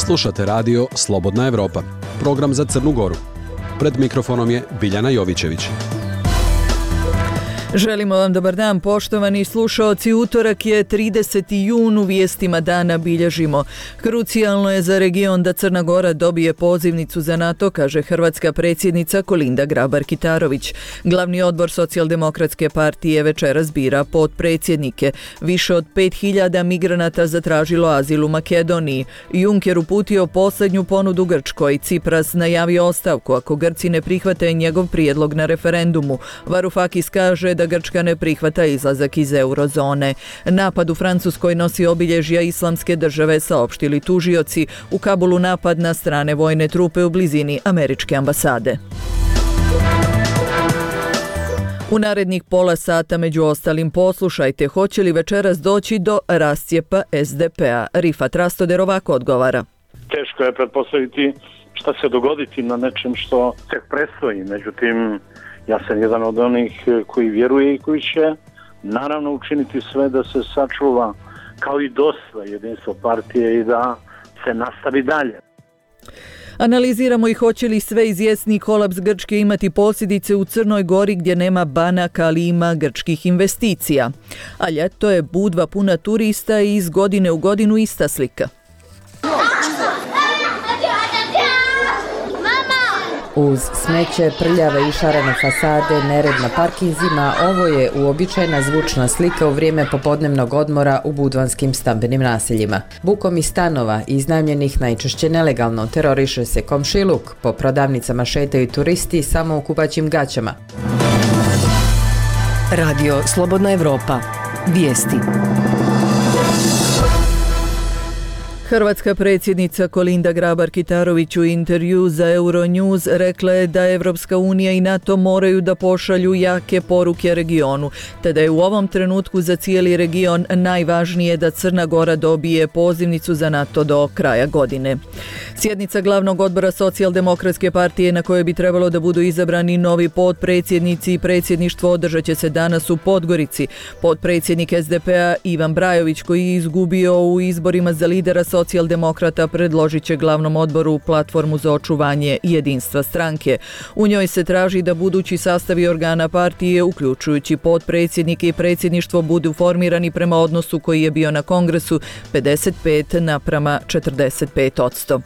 Slušate radio Slobodna Evropa, program za Crnu Goru. Pred mikrofonom je Biljana Jovićević. Želimo vam dobar dan, poštovani slušaoci. Utorak je 30. jun, u vijestima dana bilježimo. Krucijalno je za region da Crna Gora dobije pozivnicu za NATO, kaže hrvatska predsjednica Kolinda Grabar-Kitarović. Glavni odbor Socijaldemokratske partije večeras bira potpredsjednike. Više od 5.000 migranata zatražilo azil u Makedoniji. Juncker uputio posljednju ponudu Grčkoj. Cipras najavio ostavku ako Grci ne prihvate njegov prijedlog na referendumu. Varoufakis kaže da Grčka ne prihvata izlazak iz eurozone. Napad u Francuskoj nosi obilježja Islamske države, saopštili tužioci. U Kabulu napad na strane vojne trupe u blizini američke ambasade. U narednih pola sata među ostalim poslušajte hoće li večeras doći do rascijepa SDP-a. Rifat Rastoder ovako odgovara. Teško je pretpostaviti šta se dogoditi na nečem što tek predstoji, međutim ja sam jedan od onih koji vjeruje i koji će naravno učiniti sve da se sačuva kao i dosada jedinstvo partije i da se nastavi dalje. Analiziramo i hoće li sve izvjesni kolaps Grčke imati posljedice u Crnoj Gori gdje nema banaka, ali ima grčkih investicija. A ljeto je Budva puna turista i iz godine u godinu ista slika. Uz smeće, prljave i šarene fasade, nered na parkinzima, ovo je uobičajena zvučna slika u vrijeme popodnevnog odmora u budvanskim stambenim naseljima. Bukom iz stanova, iznajmljenih najčešće nelegalno, teroriše se komšiluk, po prodavnicama šetaju turisti samo u kupaćim gaćama. Radio Slobodna Evropa. Vijesti. Hrvatska predsjednica Kolinda Grabar-Kitarović u intervju za Euronews rekla je da Evropska unija i NATO moraju da pošalju jake poruke regionu, te da je u ovom trenutku za cijeli region najvažnije da Crna Gora dobije pozivnicu za NATO do kraja godine. Sjednica glavnog odbora Socijaldemokratske partije na kojoj bi trebalo da budu izabrani novi potpredsjednici i predsjedništvo održat će se danas u Podgorici. Potpredsjednik SDP-a Ivan Brajović, koji je izgubio u izborima za lidera Socijaldemokrata, predložit će glavnom odboru platformu za očuvanje jedinstva stranke. U njoj se traži da budući sastavi organa partije, uključujući potpredsjednike i predsjedništvo, budu formirani prema odnosu koji je bio na kongresu 55:45%.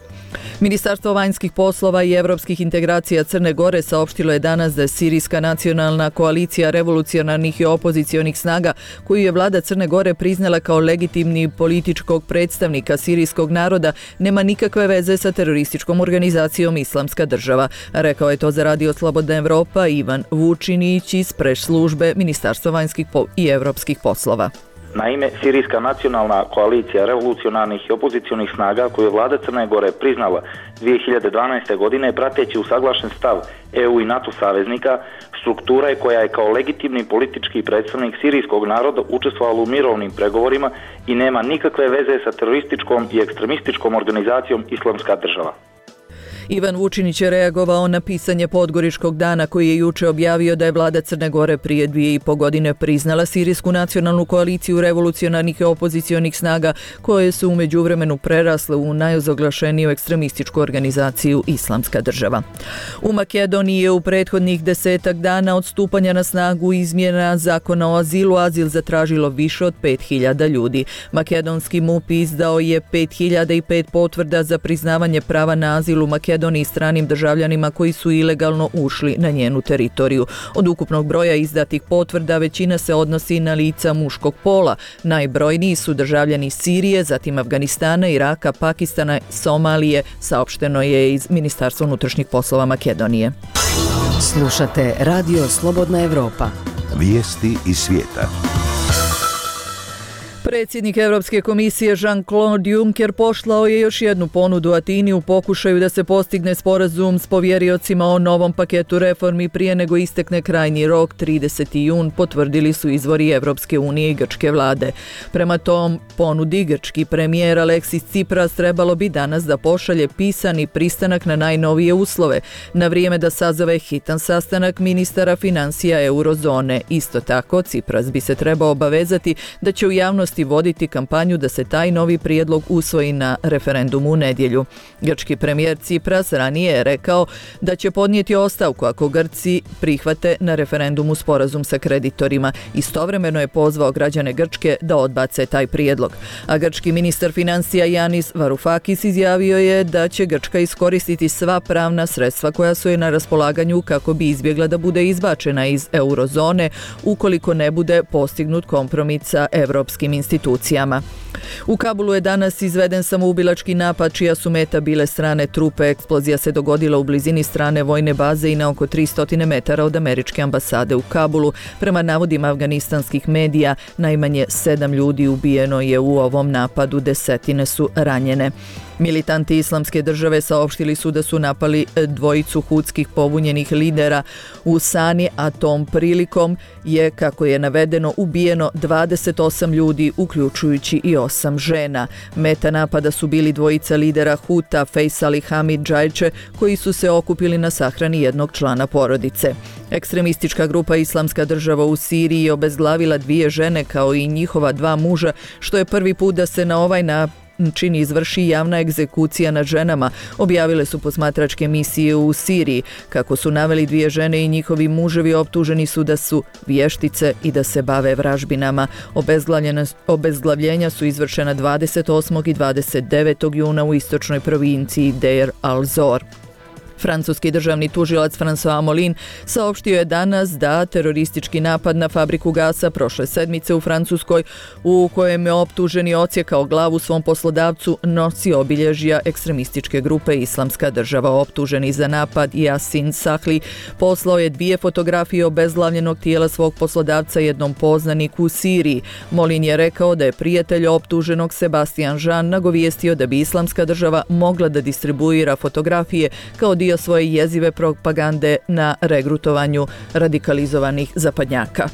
Ministarstvo vanjskih poslova i europskih integracija Crne Gore saopštilo je danas da je Sirijska nacionalna koalicija revolucionarnih i opozicionih snaga, koju je vlada Crne Gore priznala kao legitimni političkog predstavnika sirijskog naroda, nema nikakve veze sa terorističkom organizacijom Islamska država. Rekao je to za radio Slobodna Evropa Ivan Vučinić iz press službe Ministarstva vanjskih i europskih poslova. Naime, Sirijska nacionalna koalicija revolucionarnih i opozicionih snaga koju je vlada Crne Gore priznala 2012. godine, prateći usaglašen stav EU i NATO saveznika, struktura je koja je kao legitimni politički predstavnik sirijskog naroda učestvovala u mirovnim pregovorima i nema nikakve veze sa terorističkom i ekstremističkom organizacijom Islamska država. Ivan Vučinić je reagovao na pisanje Podgoričkog dana koji je juče objavio da je vlada Crne Gore prije 2,5 godine priznala Sirijsku nacionalnu koaliciju revolucionarnih i opozicionih snaga koje su u međuvremenu prerasle u najozoglašeniju ekstremističku organizaciju Islamska država. U Makedoniji je u prethodnih 10 dana od stupanja na snagu izmjena zakona o azilu azil zatražilo više od 5.000 ljudi. Makedonski MUP izdao je 5.005 potvrda za priznavanje prava na azil u Makedoniji stranim državljanima koji su ilegalno ušli na njenu teritoriju. Od ukupnog broja izdatih potvrda većina se odnosi na lica muškog pola. Najbrojniji su državljani Sirije, zatim Afganistana, Iraka, Pakistana, Somalije, saopšteno je iz Ministarstva unutrašnjih poslova Makedonije. Slušate Radio Slobodna Evropa. Vijesti iz svijeta. Predsjednik Europske komisije Jean-Claude Juncker poslao je još jednu ponudu Atini u pokušaju da se postigne sporazum s povjeriocima o novom paketu reformi prije nego istekne krajnji rok 30. jun, potvrdili su izvori Europske unije i grčke vlade. Prema tom ponudi grčki premijer Aleksis Tsipras trebalo bi danas da pošalje pisani pristanak na najnovije uslove, na vrijeme da sazove hitan sastanak ministara financija eurozone. Isto tako, Tsipras bi se trebao obavezati da će u javnosti vlasti voditi kampanju da se taj novi prijedlog usvoji na referendumu u nedjelju. Grčki premijer Tsipras ranije je rekao da će podnijeti ostavku ako Grci prihvate na referendumu sporazum sa kreditorima. Istovremeno je pozvao građane Grčke da odbace taj prijedlog. A grčki ministar financija Yanis Varoufakis izjavio je da će Grčka iskoristiti sva pravna sredstva koja su je na raspolaganju kako bi izbjegla da bude izbačena iz eurozone ukoliko ne bude postignut kompromis sa europskim institucijama. U Kabulu je danas izveden samoubilački napad čija su meta bile strane trupe. Eksplozija se dogodila u blizini strane vojne baze i na oko 300 metara od američke ambasade u Kabulu. Prema navodima afganistanskih medija, najmanje 7 ljudi ubijeno je u ovom napadu, desetine su ranjene. Militanti Islamske države saopštili su da su napali dvojicu hutskih pobunjenih lidera u Sani, a tom prilikom je, kako je navedeno, ubijeno 28 ljudi, uključujući i 8 žena. Meta napada su bili dvojica lidera Huta, Faisal i Hamid Džajče, koji su se okupili na sahrani jednog člana porodice. Ekstremistička grupa Islamska država u Siriji je obezglavila 2 žene kao i njihova 2 muža, što je prvi put da se na ovaj način izvrši javna egzekucija nad ženama, objavile su posmatračke misije u Siriji. Kako su naveli, 2 žene i njihovi muževi optuženi su da su vještice i da se bave vražbinama. Obezglavljenja su izvršena 28. i 29. juna u istočnoj provinciji Deir al-Zor. Francuski državni tužilac François Molin saopštio je danas da teroristički napad na fabriku gasa prošle sedmice u Francuskoj, u kojem je optuženi odsjekao glavu svom poslodavcu, nosi obilježja ekstremističke grupe Islamska država. Optuženi za napad Yasin Sahli poslao je 2 fotografije obezglavljenog tijela svog poslodavca jednom poznaniku u Siriji. Molin je rekao da je prijatelj optuženog Sebastian Jean nagovijestio da bi Islamska država mogla da distribuira fotografije kao dio svoje jezive propagande na regrutovanju radikalizovanih zapadnjaka.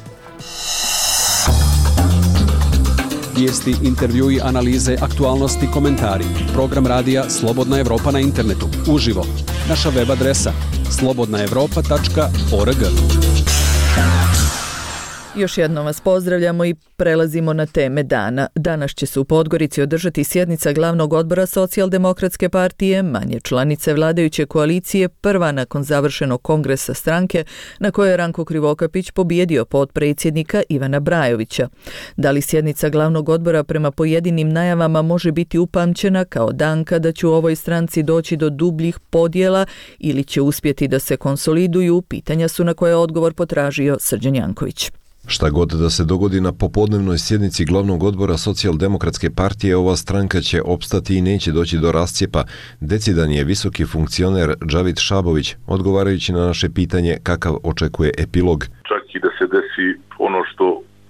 Vijesti, intervjui, analize, aktualnosti, komentari. Program radija Slobodna Evropa na internetu. Uživo. Naša web adresa slobodnaevropa.org. Još jednom vas pozdravljamo i prelazimo na teme dana. Danas će se u Podgorici održati sjednica glavnog odbora Socijaldemokratske partije, manje članice vladajuće koalicije, prva nakon završenog kongresa stranke na kojoj je Ranko Krivokapić pobijedio potpredsjednika Ivana Brajovića. Da li sjednica glavnog odbora prema pojedinim najavama može biti upamćena kao dan kada će u ovoj stranci doći do dubljih podjela ili će uspjeti da se konsoliduju, pitanja su na koje je odgovor potražio Srđan Janković. Šta god da se dogodi na popodnevnoj sjednici glavnog odbora Socijaldemokratske partije, ova stranka će opstati i neće doći do rascijepa, decidan je visoki funkcioner Džavid Šabović, odgovarajući na naše pitanje kakav očekuje epilog. Čak i da se desi ono što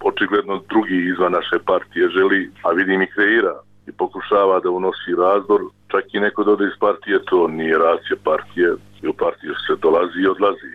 očigledno drugi izvan naše partije želi, a vidim i kreira i pokušava da unosi razdor, čak i neko da ode iz partije, to nije racija partije, i u partiju se dolazi i odlazi,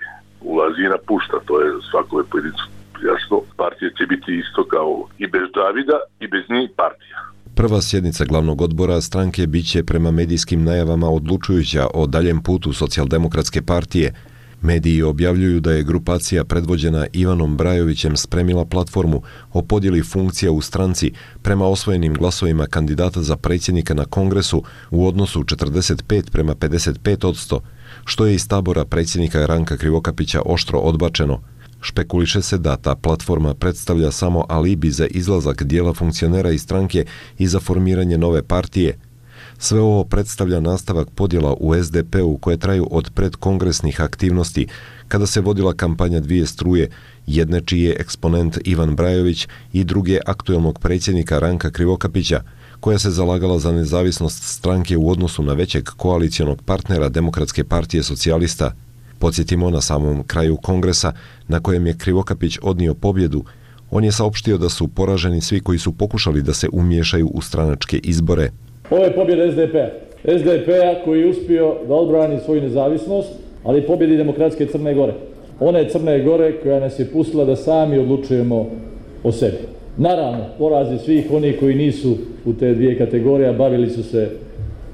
ulazi i napušta, to je svakoj pojedincu jasno. Partija će biti isto kao i bez Davida i bez njih partija. Prva sjednica glavnog odbora stranke biće prema medijskim najavama odlučujuća o daljem putu Socijaldemokratske partije. Mediji objavljuju da je grupacija predvođena Ivanom Brajovićem spremila platformu o podjeli funkcija u stranci prema osvojenim glasovima kandidata za predsjednika na kongresu u odnosu 45:55%, što je iz tabora predsjednika Ranka Krivokapića oštro odbačeno. Špekuliše se da ta platforma predstavlja samo alibi za izlazak dijela funkcionera iz stranke i za formiranje nove partije. Sve ovo predstavlja nastavak podjela u SDP-u koje traju od predkongresnih aktivnosti, kada se vodila kampanja 2 struje, jedne čiji je eksponent Ivan Brajović i druge aktuelnog predsjednika Ranka Krivokapića, koja se zalagala za nezavisnost stranke u odnosu na većeg koalicionog partnera Demokratske partije socijalista. Podsjetimo, na samom kraju kongresa, na kojem je Krivokapić odnio pobjedu, on je saopštio da su poraženi svi koji su pokušali da se umiješaju u stranačke izbore. Ovo je pobjeda SDP-a koji je uspio da odbrani svoju nezavisnost, ali pobjedi Demokratske Crne Gore. One Crne Gore koja nas je pustila da sami odlučujemo o sebi. Naravno, porazi svih onih koji nisu u te 2 kategorije, bavili su se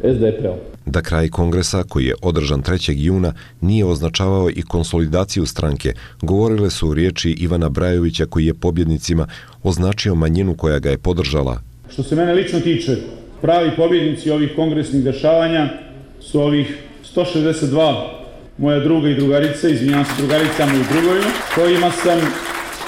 SDP-om. Da kraj kongresa, koji je održan 3. juna, nije označavao i konsolidaciju stranke, govorile su riječi Ivana Brajovića, koji je pobjednicima označio manjinu koja ga je podržala. Što se mene lično tiče, pravi pobjednici ovih kongresnih dešavanja su ovih 162 moja druga i drugarice, izvinjavam se drugaricama i drugovima, kojima sam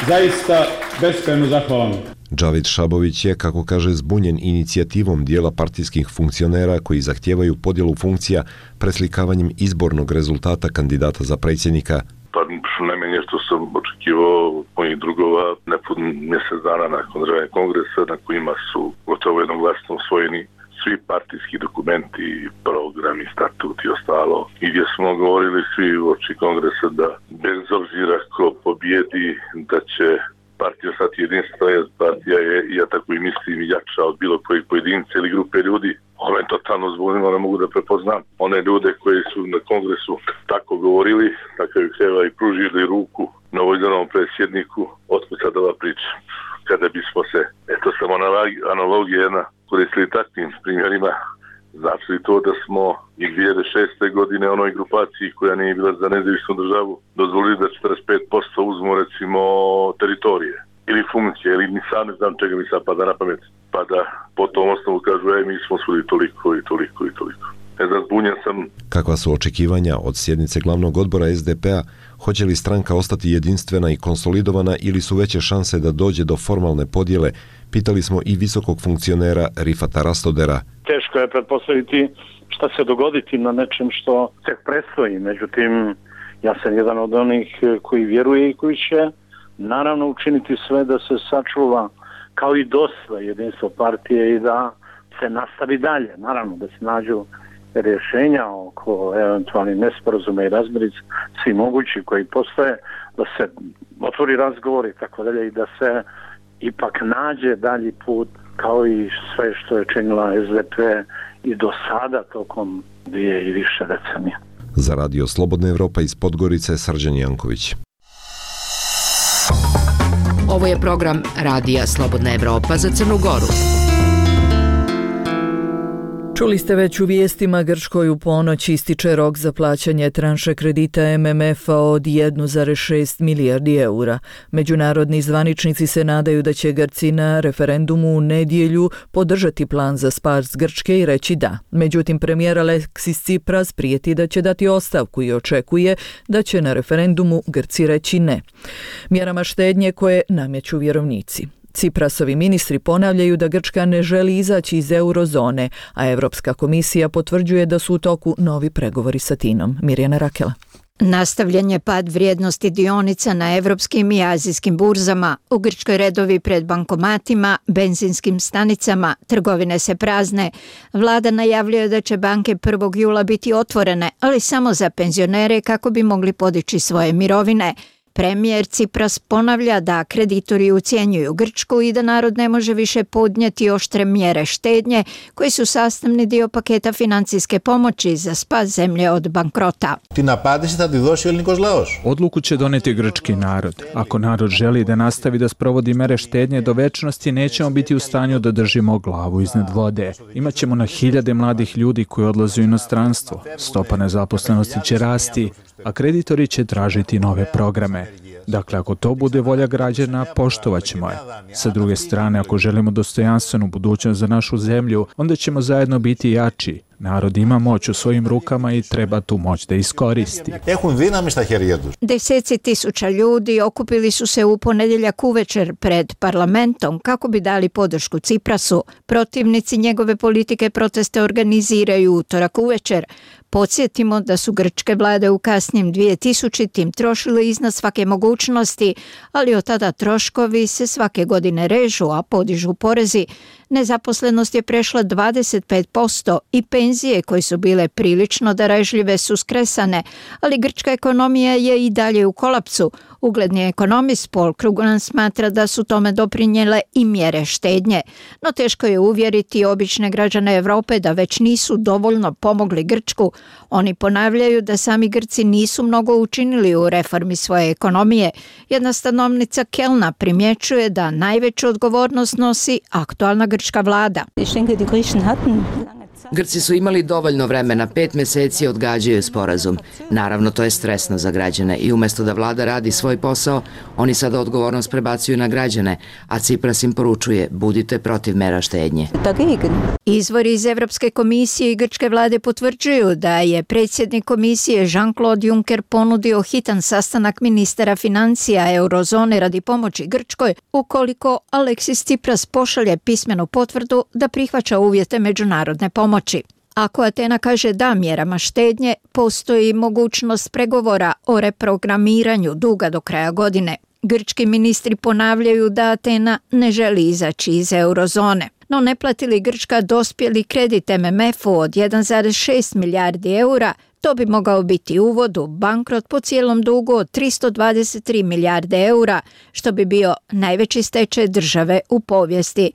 zaista beskrajno zahvalan. Džavid Šabović je, kako kaže, zbunjen inicijativom dijela partijskih funkcionera koji zahtijevaju podjelu funkcija preslikavanjem izbornog rezultata kandidata za predsjednika. Pa najmanje što sam očekivao mojih drugova nepun mjesec dana nakon održavanja kongresa, na kojima su gotovo jednoglasno usvojeni svi partijski dokumenti, programi, statuti i ostalo. I gdje smo govorili svi u oči kongresa da bez obzira ko pobjedi, da će partija ostati jedinstvena, jer partija je, ja tako i mislim, jača od bilo kojeg pojedinca ili grupe ljudi. Ovo je totalno zbunilo, ne mogu da prepoznam one ljude koji su na kongresu tako govorili, na kraju krajeva i pružili ruku novoizbranom predsjedniku. Otkud sad ova priča? Kada bismo se, eto samo analogija jedna, koristili takvim primjerima, znači li to da smo i 2006. godine onoj grupaciji koja nije bila za nezavisnu državu dozvolili da 45% uzmu recimo teritorije ili funkcije, ili ni sam ne znam čega mi sad pada na pamet, pa da po tom osnovu kažu mi smo svuli toliko i toliko i toliko. Ne znam, zbunjen sam. Kakva su očekivanja od sjednice glavnog odbora SDP-a? Hoće li stranka ostati jedinstvena i konsolidovana ili su veće šanse da dođe do formalne podjele? Pitali smo i visokog funkcionera Rifata Rastodera. Teško je pretpostaviti šta se dogoditi na nečem što tek predstoji. Međutim, ja sam jedan od onih koji vjeruje i koji će naravno učiniti sve da se sačuva kao i dosada jedinstvo partije i da se nastavi dalje. Naravno da se nađu rješenja oko eventualnih nesporazuma i razmirica, svi mogući koji postoje, da se otvori razgovor i tako dalje i da se ipak nađe dalji put kao i sve što je činila SDP i do sada tokom 2 i više decenija. Za Radio Slobodna Evropa iz Podgorice, Srđan Janković. Ovo je program Radija Slobodna Evropa za Crnu Goru. Čuli ste već u vijestima, Grčkoj u ponoć ističe rok za plaćanje tranše kredita MMF-a od 1,6 milijardi eura. Međunarodni zvaničnici se nadaju da će Grci na referendumu u nedjelju podržati plan za spas Grčke i reći da. Međutim, premijer Aleksis Tsipras prijeti da će dati ostavku i očekuje da će na referendumu Grci reći ne. Mjerama štednje koje nameću vjerovnici. Tsiprasovi ministri ponavljaju da Grčka ne želi izaći iz eurozone, a Europska komisija potvrđuje da su u toku novi pregovori sa Tinom. Mirjana Rakela. Nastavljen je pad vrijednosti dionica na evropskim i azijskim burzama, u Grčkoj redovi pred bankomatima, benzinskim stanicama, trgovine se prazne. Vlada najavljuje da će banke 1. jula biti otvorene, ali samo za penzionere kako bi mogli podići svoje mirovine. Premijer Tsipras ponavlja da kreditori ucjenjuju Grčku i da narod ne može više podnijeti oštre mjere štednje koji su sastavni dio paketa financijske pomoći za spas zemlje od bankrota. Odluku će doneti grčki narod. Ako narod želi da nastavi da sprovodi mere štednje do večnosti, nećemo biti u stanju da držimo glavu iznad vode. Imaćemo na hiljade mladih ljudi koji odlaze u inostranstvo. Stopa nezaposlenosti će rasti, a kreditori će tražiti nove programe. Dakle, ako to bude volja građana, poštovat ćemo je. Sa druge strane, ako želimo dostojanstvenu budućnost za našu zemlju, onda ćemo zajedno biti jači. Narod ima moć u svojim rukama i treba tu moć da iskoristi. Deseci tisuća ljudi okupili su se u ponedjeljak uvečer pred parlamentom kako bi dali podršku Tsiprasu. Protivnici njegove politike proteste organiziraju utorak uvečer. Podsjetimo da su grčke vlade u kasnim 2000-tim trošile iznad svake mogućnosti, ali od tada troškovi se svake godine režu, a podižu porezi. Nezaposlenost je prešla 25% i penzije koje su bile prilično darežljive su skresane, ali grčka ekonomija je i dalje u kolapsu. Ugledni ekonomist Paul Krugman smatra da su tome doprinijele i mjere štednje, no teško je uvjeriti obične građane Europe da već nisu dovoljno pomogli Grčku. Oni ponavljaju da sami Grci nisu mnogo učinili u reformi svoje ekonomije. Jedna stanovnica Kelna primjećuje da najveću odgovornost nosi aktualna grčka vlada. Grci su imali dovoljno vremena, 5 meseci odgađaju sporazum. Naravno, to je stresno za građane i umjesto da vlada radi svoj posao, oni sada odgovornost prebacuju na građane, a Cipras im poručuje: budite protiv mera štednje. Izvori iz Evropske komisije i grčke vlade potvrđuju da je predsjednik komisije Jean-Claude Juncker ponudio hitan sastanak ministara financija eurozone radi pomoći Grčkoj ukoliko Aleksis Tsipras pošalje pismenu potvrdu da prihvaća uvjete međunarodne pomoći. Ako Atena kaže da mjerama štednje, postoji mogućnost pregovora o reprogramiranju duga do kraja godine. Grčki ministri ponavljaju da Atena ne želi izaći iz eurozone. No ne plati li Grčka dospjeli kredit MMF-u od 1,6 milijardi eura, to bi mogao biti uvod u bankrot po cijelom dugu od 323 milijarde eura, što bi bio najveći stečaj države u povijesti.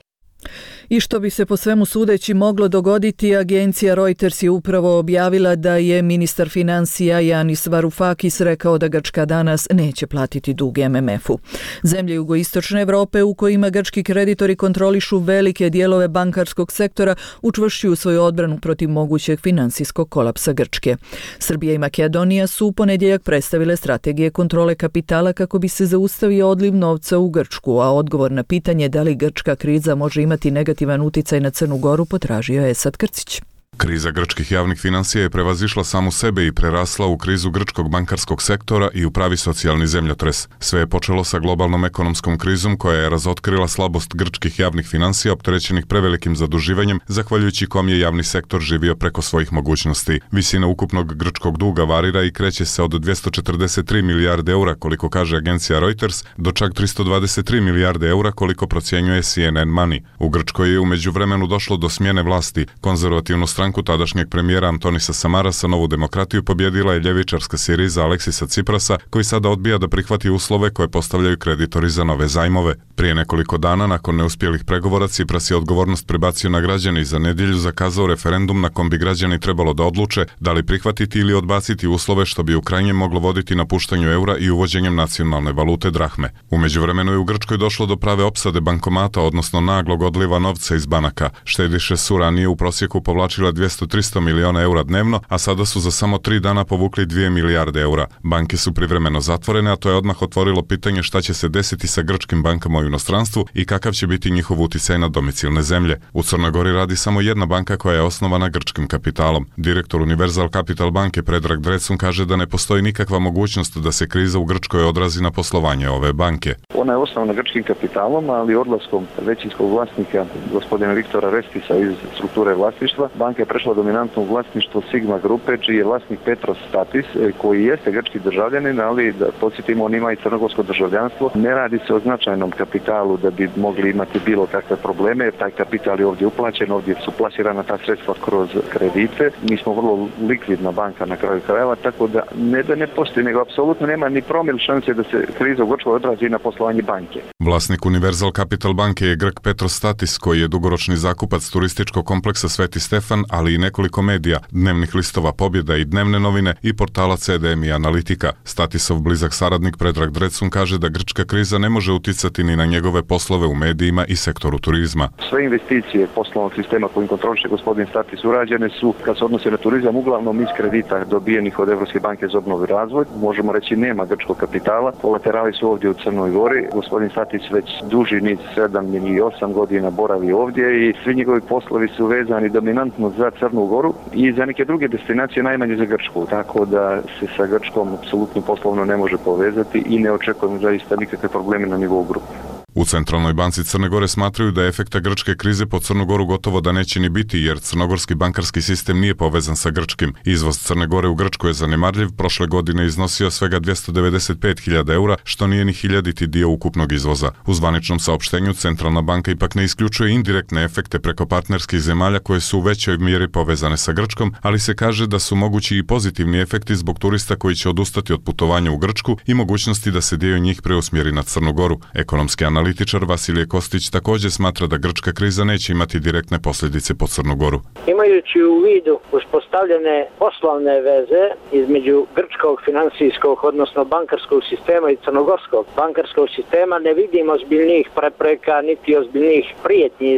I što bi se po svemu sudeći moglo dogoditi, agencija Reuters je upravo objavila da je ministar financija Yanis Varoufakis rekao da Grčka danas neće platiti dug MMF-u. Zemlje jugoistočne Europe u kojima grčki kreditori kontrolišu velike dijelove bankarskog sektora učvršćuju svoju odbranu protiv mogućeg financijskog kolapsa Grčke. Srbija i Makedonija su u ponedjeljak predstavile strategije kontrole kapitala kako bi se zaustavio odliv novca u Grčku, a odgovor na pitanje da li grčka kriza može imati negativan uticaj na Crnu Goru potražio je Esad Krcić. Kriza grčkih javnih financija je prevazišla samu sebe i prerasla u krizu grčkog bankarskog sektora i u pravi socijalni zemljotres. Sve je počelo sa globalnom ekonomskom krizom koja je razotkrila slabost grčkih javnih financija opterećenih prevelikim zaduživanjem, zahvaljujući kom je javni sektor živio preko svojih mogućnosti. Visina ukupnog grčkog duga varira i kreće se od 243 milijarde eura, koliko kaže agencija Reuters, do čak 323 milijarde eura, koliko procjenjuje CNN Money. U Grčkoj je u međuvremenu došlo do smjene vlasti. Konzervativnu stranku tadašnjeg premijera Antonisa Samarasa, Novu demokratiju, pobjedila je ljevičarska Siriza Aleksisa Tsiprasa, koji sada odbija da prihvati uslove koje postavljaju kreditori za nove zajmove. Prije nekoliko dana, nakon neuspjelih pregovora, Tsipras je odgovornost prebacio na građane i za nedjelju zakazao referendum na kom bi građani trebalo da odluče da li prihvatiti ili odbaciti uslove, što bi u krajnjem moglo voditi napuštanju eura i uvođenjem nacionalne valute drahme. U međuvremenu je u Grčkoj došlo do prave opsade bankomata, odnosno naglog odliva novca iz banaka. Štediše su ranije u prosjeku povlačile 200-300 miliona eura dnevno, a sada su za samo 3 dana povukli 2 milijarde eura. Banke su privremeno zatvorene, a to je odmah otvorilo pitanje šta će se desiti sa grčkim bankama u inostranstvu i kakav će biti njihov uticaj na domicilne zemlje. U Crnoj Gori radi samo jedna banka koja je osnovana grčkim kapitalom. Direktor Universal Capital banke Predrag Drecun kaže da ne postoji nikakva mogućnost da se kriza u Grčkoj odrazi na poslovanje ove banke. Ona je osnovana grčkim kapitalom, ali odlaskom većinskog vlasnika gospodina Viktora Restisa iz strukture vlasništva, banka je prešla dominantno u vlasništvo Sigma grupe, čiji je vlasnik Petros Statis, koji jeste grčki državljanin, ali da podsjetimo, on ima i crnogorsko državljanstvo. Ne radi se o značajnom kapitalu da bi mogli imati bilo kakve probleme, jer taj kapital je ovdje uplaćen, ovdje su plasirana ta sredstva kroz kredite. Mi smo vrlo likvidna banka na kraju krajeva, tako da ne postoji, nego apsolutno nema ni promil šanse da se kriza u Grčkoj odrazi na poslovanje banke. Vlasnik Universal Capital banke je Grk Petros Statis, koji je dugoročni zakupac turističkog kompleksa Sveti Stefan, ali i nekoliko medija, dnevnih listova Pobjeda i Dnevne novine i portala CDM i Analitika. Statisov blizak saradnik Predrag Drecun kaže da grčka kriza ne može uticati ni na njegove poslove u medijima i sektoru turizma. Sve investicije poslovnog sistema kojim kontroliše gospodin Statis urađene su, kad se odnose na turizam, uglavnom iz kredita dobijenih od Evropske banke za obnovu i razvoj. Možemo reći nema grčkog kapitala. Kolaterali su ovdje u Crnoj Gori. Gospodin Statis već duži niz 7 ili 8 godina boravi ovdje i svi njegovi poslovi su vezani dominantno za Crnu Goru i za neke druge destinacije, najmanje za Grčku. Tako da se sa Grčkom apsolutno poslovno ne može povezati i ne očekujemo zaista nikakve probleme na nivou grupe. U Centralnoj banci Crne Gore smatraju da efekta grčke krize po Crnu Goru gotovo da neće ni biti, jer crnogorski bankarski sistem nije povezan sa grčkim. Izvoz Crne Gore u Grčku je zanemarljiv, prošle godine iznosio svega 295.000 eura, što nije ni 1000 dio ukupnog izvoza. U zvaničnom saopštenju Centralna banka ipak ne isključuje indirektne efekte preko partnerskih zemalja koje su u većoj mjeri povezane sa Grčkom, ali se kaže da su mogući i pozitivni efekti zbog turista koji će odustati od putovanja u Grčku i mogućnosti da se dio njih preusmjeri na Crnu Goru. Ekonomski Analitičar Vasilije Kostić također smatra da grčka kriza neće imati direktne posljedice po Crnu Goru. Imajući u vidu uspostavljene poslovne veze između grčkog finansijskog, odnosno bankarskog sistema i crnogorskog bankarskog sistema, ne vidimo ozbiljnijih prepreka niti ozbiljnijih prijetnji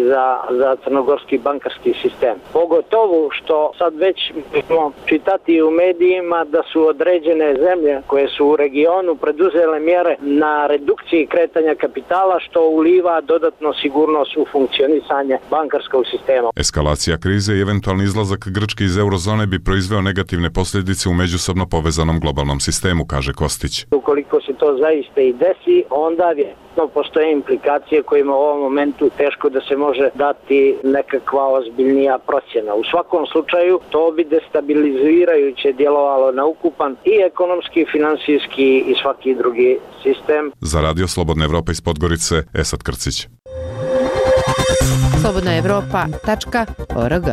za crnogorski bankarski sistem. Pogotovo što sad već možemo čitati u medijima da su određene zemlje koje su u regionu preduzele mjere na redukciji kretanja kapitala, što uliva dodatno sigurnost u funkcionisanje bankarskog sistema. Eskalacija krize i eventualni izlazak Grčke iz eurozone bi proizveo negativne posljedice u međusobno povezanom globalnom sistemu, kaže Kostić. Ukoliko se to zaista i desi, onda postoje implikacije kojima u ovom momentu teško da se može dati nekakva ozbiljnija procjena. U svakom slučaju to bi destabilizirajuće djelovalo na ukupan i ekonomski, finansijski i svaki drugi sistem. Za Radio Slobodna Evropa iz Podgorice, Esad Krcić. slobodnaevropa.org.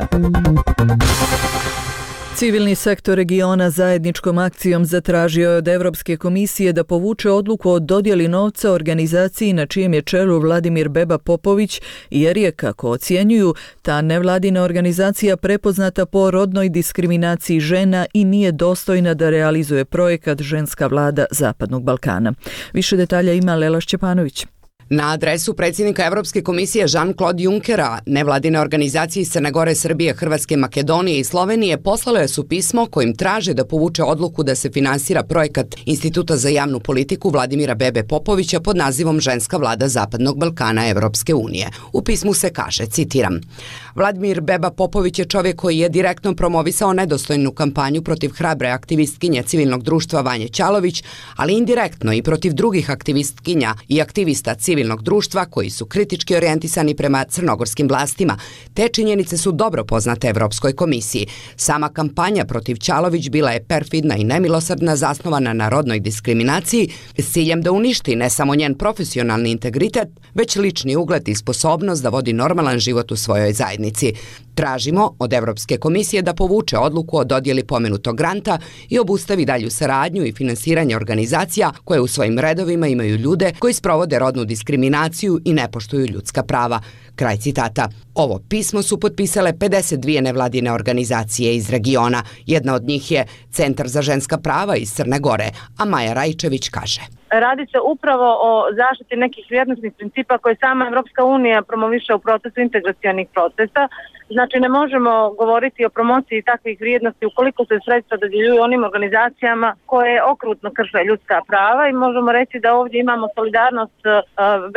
Civilni sektor regiona zajedničkom akcijom zatražio je od Evropske komisije da povuče odluku o dodjeli novca organizaciji na čijem je čelu Vladimir Beba Popović, jer je, kako ocjenjuju, ta nevladina organizacija prepoznata po rodnoj diskriminaciji žena i nije dostojna da realizuje projekat Ženska vlada Zapadnog Balkana. Više detalja ima Lela Šćepanović. Na adresu predsjednika Evropske komisije Jean-Claude Junckera, nevladine organizacije iz Crne Gore, Srbije, Hrvatske, Makedonije i Slovenije poslale su pismo kojim traže da povuče odluku da se finansira projekat Instituta za javnu politiku Vladimira Bebe Popovića pod nazivom Ženska vlada Zapadnog Balkana Evropske unije. U pismu se kaže, citiram: Vladimir Beba Popović je čovjek koji je direktno promovisao nedostojnu kampanju protiv hrabre aktivistkinje civilnog društva Vanje Ćalović, ali indirektno i protiv drugih aktivistkinja i aktivista civilnog društva koji su kritički orijentisani prema crnogorskim vlastima. Te činjenice su dobro poznate Evropskoj komisiji. Sama kampanja protiv Ćalović bila je perfidna i nemilosrdna, zasnovana na rodnoj diskriminaciji s ciljem da uništi ne samo njen profesionalni integritet, već lični ugled i sposobnost da vodi normalan život u svojoj zajednici. Tražimo od Evropske komisije da povuče odluku o dodjeli pomenutog granta i obustavi dalju saradnju i finansiranje organizacija koje u svojim redovima imaju ljude koji sprovode rodnu diskriminaciju i ne poštuju ljudska prava. Kraj citata. Ovo pismo su potpisale 52 nevladine organizacije iz regiona. Jedna od njih je Centar za ženska prava iz Crne Gore, a Maja Rajčević kaže: Radi se upravo o zaštiti nekih vrijednosnih principa koje sama Evropska unija promoviše u procesu integracionih procesa. Znači, ne možemo govoriti o promociji takvih vrijednosti ukoliko se sredstva dodjeljuju onim organizacijama koje okrutno krše ljudska prava, i možemo reći da ovdje imamo solidarnost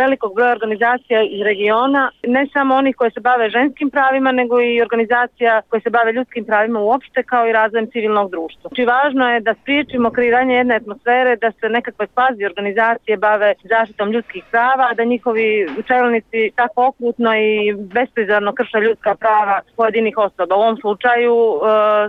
velikog broja organizacija iz regiona, ne samo onih koje se bave ženskim pravima, nego i organizacija koje se bave ljudskim pravima uopšte, kao i razvojem civilnog društva. Znači, važno je da spriječimo kreiranje jedne atmosfere, da se nekakve kvazi organizacije bave zaštitom ljudskih prava, da njihovi čelnici tako okrutno i besprizorno krše ljudska prava pojedinih osoba. U ovom slučaju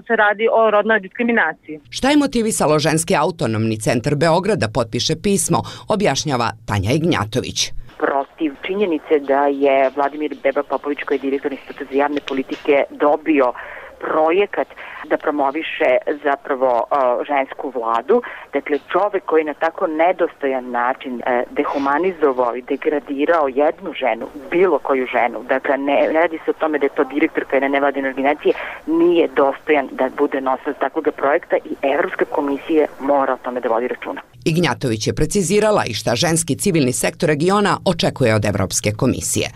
se radi o rodnoj diskriminaciji. Šta je motivisalo Ženski autonomni centar Beograda potpiše pismo, objašnjava Tanja Ignjatović. Protiv činjenice da je Vladimir Beba Popović, koji je direktor Instituta za javne politike, dobio projekat da promoviše zapravo žensku vladu. Dakle, čovjek koji na tako nedostojan način dehumanizovao i degradirao jednu ženu, bilo koju ženu, dakle ne radi se o tome da je to direktorka jedne nevladine organizacije, nije dostojan da bude nosilac takvog projekta i Evropska komisija mora o tome da vodi računa. Ignjatović je precizirala i šta ženski civilni sektor regiona očekuje od Evropske komisije.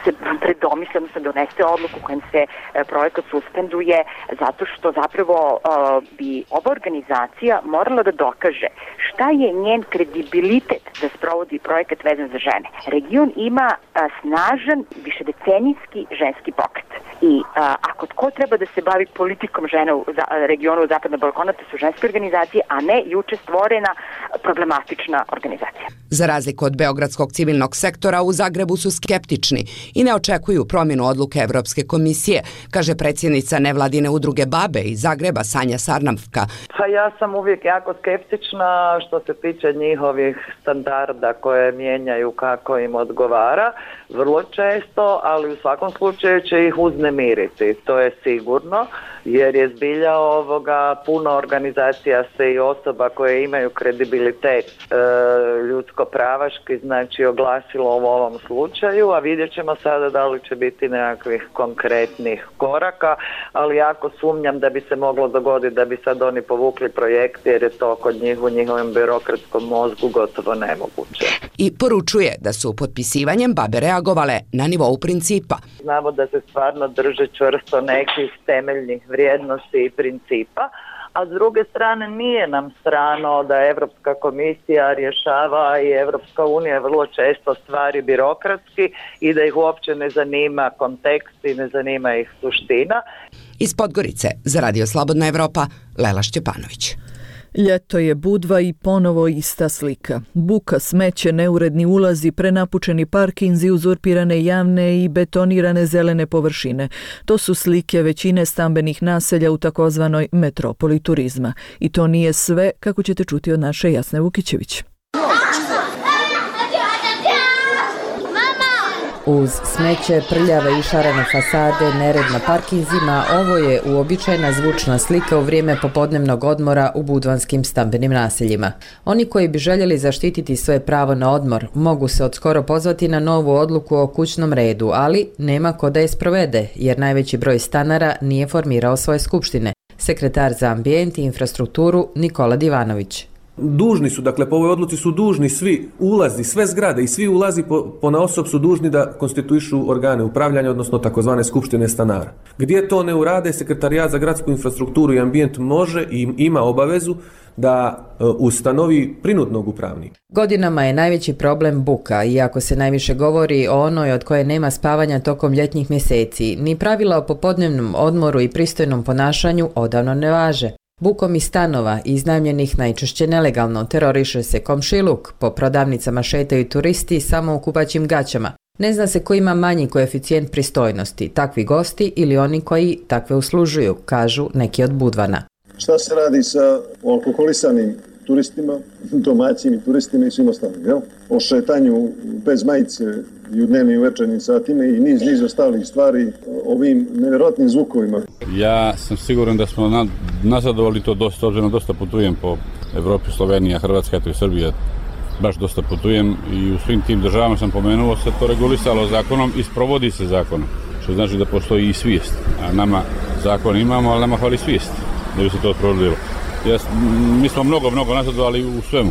Se predomisle, odnosno donese odluku kojom se projekat suspenduje, zato što zapravo bi ova organizacija morala da dokaže šta je njen kredibilitet da sprovodi projekat vezan za žene. Region ima snažan, višedecenijski ženski pokret. I ako tko treba da se bavi politikom žena u regionu Zapadnog Balkana, to su ženske organizacije, a ne juče stvorena problematična organizacija. Za razliku od beogradskog civilnog sektora, u Zagrebu su skeptični i ne očekuju promjenu odluke Evropske komisije, kaže predsjednica nevladine udruge Babe iz Zagreba Sanja Sarnavka. Pa ja sam uvijek jako skeptična što se tiče njihovih standarda koje mijenjaju kako im odgovara, vrlo često, ali u svakom slučaju će ih uznemiriti, to je sigurno, jer je zbilja puno organizacija se i osoba koje imaju kredibilitet ljudsko-pravaški, znači oglasilo u ovom slučaju, a vidjet ćemo sada da li će biti nekakvih konkretnih koraka, ali jako sumnjam da bi se moglo dogoditi da bi sad oni povukli projekt, jer je to kod njih u njihovom birokratskom mozgu gotovo nemoguće. I poručuje da su potpisivanjem babe reagovale na nivou principa. Znamo da se stvarno drže čvrsto nekih temeljnih vrijednosti i principa, a s druge strane nije nam strano da Europska komisija rješava i Europska unija vrlo često stvari birokratski i da ih uopće ne zanima kontekst i ne zanima ih suština. Iz Podgorice za Radio Slobodna Evropa, Lela Šćepanović. Ljeto je Budva i ponovo ista slika. Buka, smeće, neuredni ulazi, prenapučeni parkinzi, uzurpirane javne i betonirane zelene površine. To su slike većine stambenih naselja u takozvanoj metropoli turizma. I to nije sve, kako ćete čuti od naše Jasne Vukićević. Uz smeće, prljave i šarene fasade, nered na parkinzima, ovo je uobičajena zvučna slika u vrijeme popodnevnog odmora u budvanskim stambenim naseljima. Oni koji bi željeli zaštititi svoje pravo na odmor mogu se odskoro pozvati na novu odluku o kućnom redu, ali nema ko da je sprovede, jer najveći broj stanara nije formirao svoje skupštine. Sekretar za ambijent i infrastrukturu Nikola Divanović. Dužni su, dakle po ovoj odluci su dužni svi ulazi, sve zgrade i svi ulazi ponaosob su dužni da konstituišu organe upravljanja, odnosno takozvane skupštine stanara. Gdje to ne urade, Sekretarijat za gradsku infrastrukturu i ambijent može i ima obavezu da ustanovi prinudnog upravnika. Godinama je najveći problem buka, iako se najviše govori o onoj od koje nema spavanja tokom ljetnih mjeseci. Ni pravila o popodnevnom odmoru i pristojnom ponašanju odavno ne važe. Bukom iz stanova, iznajmljenih najčešće nelegalno, teroriše se komšiluk, po prodavnicama šetaju turisti samo u kupaćim gaćama. Ne zna se ko ima manji koeficijent pristojnosti, takvi gosti ili oni koji takve uslužuju, kažu neki od Budvana. Šta se radi sa alkoholisanim turistima, domaćim i turistima i svim ostalim, jel? O šetanju bez majice i u dnevnim i večernjim satima i niz ostalih stvari, ovim nevjerojatnim zvukovima. Ja sam siguran da smo nazadovali to dosta, obzirom dosta putujem po Evropi, Slovenija, Hrvatska, eto i Srbija, baš dosta putujem i u svim tim državama sam pomenuo se to regulisalo zakonom i sprovodi se zakonom, što znači da postoji i svijest, a nama zakon imamo, ali nama hvali svijest da bi se to sprovodilo. Mi smo mnogo nazadovali u svemu,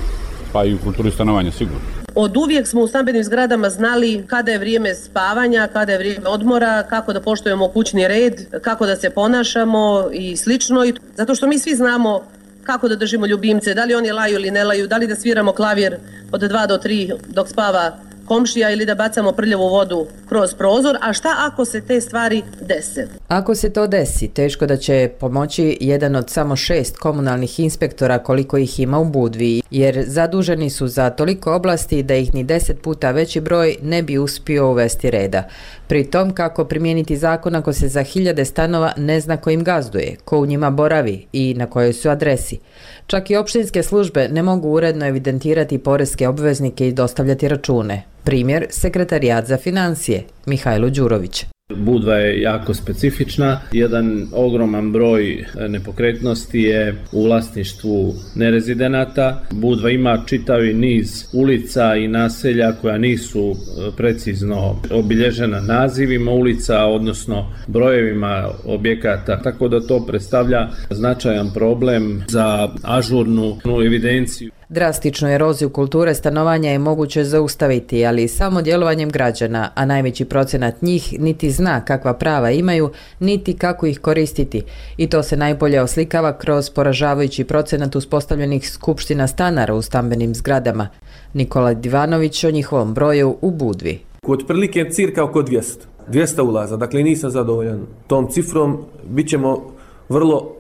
pa i u kulturi stanovanja sigurno. Od uvijek smo u stambenim zgradama znali kada je vrijeme spavanja, kada je vrijeme odmora, kako da poštujemo kućni red, kako da se ponašamo i slično. Zato što mi svi znamo kako da držimo ljubimce, da li oni laju ili ne laju, da li da sviramo klavir od 2 do 3 dok spava komšija ili da bacamo prljavu vodu kroz prozor, a šta ako se te stvari dese? Ako se to desi, teško da će pomoći jedan od samo 6 komunalnih inspektora koliko ih ima u Budvi, jer zaduženi su za toliko oblasti da ih ni 10 puta veći broj ne bi uspio uvesti reda. Pri tom kako primijeniti zakon ako se za 1000 stanova ne zna ko im gazduje, ko u njima boravi i na kojoj su adresi. Čak i opštinske službe ne mogu uredno evidentirati poreske obveznike i dostavljati račune. Primjer, Sekretarijat za financije, Mihajlo Đurović. Budva je jako specifična. Jedan ogroman broj nepokretnosti je u vlasništvu nerezidenata. Budva ima čitavi niz ulica i naselja koja nisu precizno obilježena nazivima ulica, odnosno brojevima objekata, tako da to predstavlja značajan problem za ažurnu evidenciju. Drastičnu eroziju kulture stanovanja je moguće zaustaviti, ali samo djelovanjem građana, a najveći procenat njih niti zna kakva prava imaju, niti kako ih koristiti. I to se najbolje oslikava kroz poražavajući procenat uspostavljenih skupština stanara u stambenim zgradama. Nikola Divanović o njihovom broju u Budvi. Otprilike cirka oko 200 ulaza, dakle nisam zadovoljan tom cifrom, bit ćemo vrlo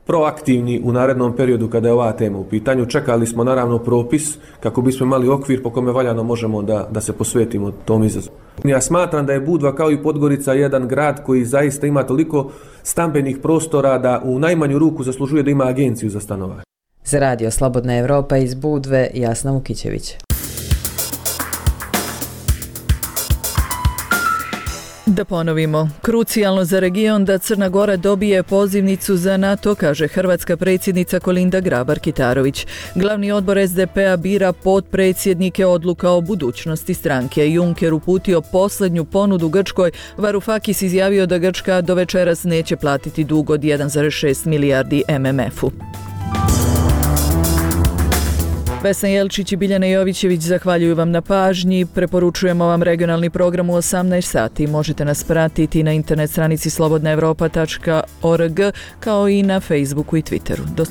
proaktivni u narednom periodu kada je ova tema u pitanju. Čekali smo naravno propis kako bismo imali okvir po kome valjano možemo da se posvetimo tom izazovu. Ja smatram da je Budva kao i Podgorica jedan grad koji zaista ima toliko stambenih prostora da u najmanju ruku zaslužuje da ima agenciju za stanovanje. Za Radio Slobodna Evropa iz Budve, Jasna Vukićević. Da ponovimo, krucijalno za region da Crna Gora dobije pozivnicu za NATO, kaže hrvatska predsjednica Kolinda Grabar-Kitarović. Glavni odbor SDP-a bira potpredsjednike, odluka o budućnosti stranke. Juncker uputio posljednju ponudu Grčkoj. Varoufakis izjavio da Grčka do večeras neće platiti dug od 1,6 milijardi MMF-u. Vesna Jelčić i Biljana Jovićević zahvaljuju vam na pažnji. Preporučujemo vam regionalni program u 18 sati. Možete nas pratiti na internet stranici slobodnaevropa.org kao i na Facebooku i Twitteru.